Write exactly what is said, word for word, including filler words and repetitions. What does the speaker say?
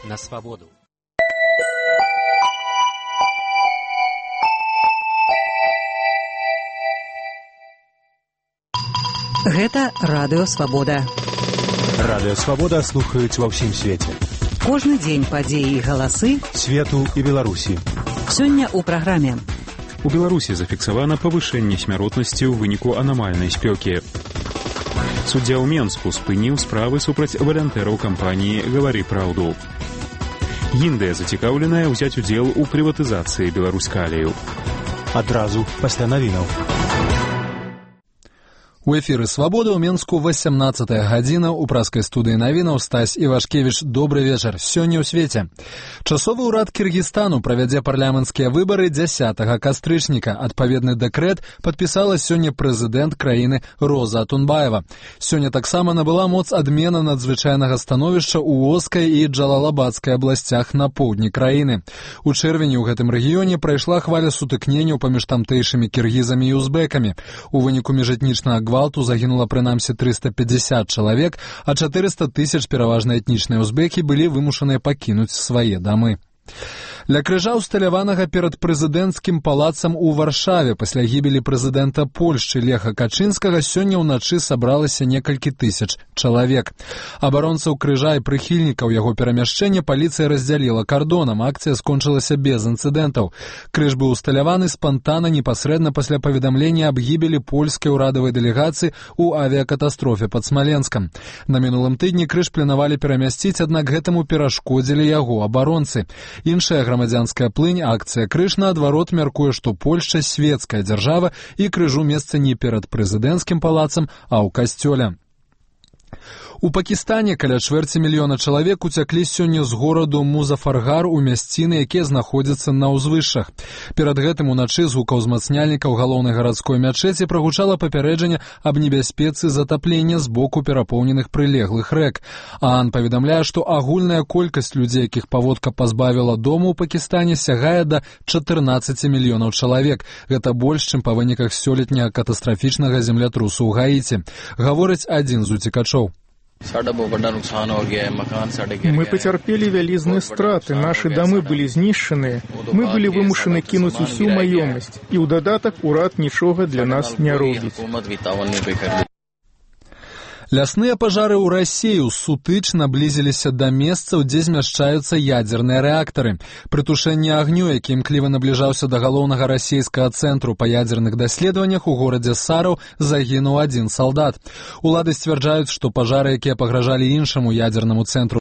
на свабоду. Гэта Радыё Свабода. Радыё Свабода слухаюць ва ўсім свеце. Кожны дзень падзеі і галасы свету і Беларусі. Сёння ў праграме. У Беларусі зафіксавана павышэнне смяротнасці ў выніку анамальнай спёкі. Суддзя ў Менску спыніў справы супраць валантэраў кампаніі «Гавары праўду». Індыя зацікаўленая ўзяць удзел у прыватызацыі Беларускалію. Адразу пасля навінаў. У эфіры «Свабода» ў Менску васямнаццатая гадзіна. У праскай студыі навінаў Стась Івашкевіч. Добры вечар. Сёння ў свеце. Часовы ўрад Кіргізстану правядзе парламенцкія выбары дзясятага кастрычніка. Адпаведны дэкрэт падпісала сёння прэзідэнт краіны Роза Атунбаева. Сёння таксама набыла моц адмена надзвычайнага становішча ў Оскай і Джалалабадскай абласцях на поўдні краіны. У чэрвені ў гэтым рэгіёне прайшла хваля сутыкненняў паміж тамтэйшымі кіргізамі і узбекамі. У выніку міжэтнічнага гвалту загінула прынамсі трыста пятьдесят чалавек, а чатырыста тысяч пераважна этнічныя узбекі былі вымушаныя пакінуць свае дамы. Ля крыжа усталяванага перад прэзідэнцкім палацам у Варшаве пасля гібелі прэзідэнта Польшчы Леха Качынскага сёння ўначы сабралася некалькі тысяч чалавек. Абаронцаў крыжа і прыхільнікаў яго перамяшчэння паліцыя раздзяліла кардонам. Акцыя скончылася без інцыдэнтаў. Крыж быў усталяваны спантанна непасрэдна пасля паведамлення аб гібелі польскай урадавай дэлегацыі ў авіякатастрофе пад Смаленскам. На мінулым тыдні крыж планавалі перамясціць, аднак гэтаму перашкодзілі яго абаронцы. Іншая грамадзянская плынь, акцыя «Крыж», наадварот, мяркуе, што Польшча светская дзяржава і крыжу месца не перад прэзідэнцкім палацам, а ў касцёле. У Пакістане каля чвэрці мільёна чалавек уцяклі сёння з гораду Музафаргар у мясціны, якія знаходзяцца на ўзвышшах. Перад гэтым уначы з гукаўзмацняльнікаў галоўнай гарадской мячэці прагучала папярэджанне аб небяспецы затаплення з боку перапоўненых прылеглых рэк. ААН паведамляе, што агульная колькасць людзей, якіх паводка пазбавіла дому ў Пакістане, сягае да чатырнаццаці мільёнаў чалавек. Гэта больш, чым па выніках сёлетняга катастрафічнага землятрусу ў Гаіці. Гаворыць адзін з уцекачоў. Мы потерпели вялізныя страты, наши дамы былі знішчаныя, мы былі вымушаны кінуць усю маёмасць, і ў дадатак урад нічога для нас не робіць. Лясныя пажары ў Расею сутыч наблізіліся да месцаў, дзе змяшчаюцца ядзерныя рэактары. Пры тушэнні агню, які імкліва набліжаўся да галоўнага расейскага цэнтру па ядзерных даследаваннях, у горадзе Сараў загінуў адзін салдат. Улады сцвярджаюць, што пажары, якія пагражалі іншаму ядзернаму цэнтру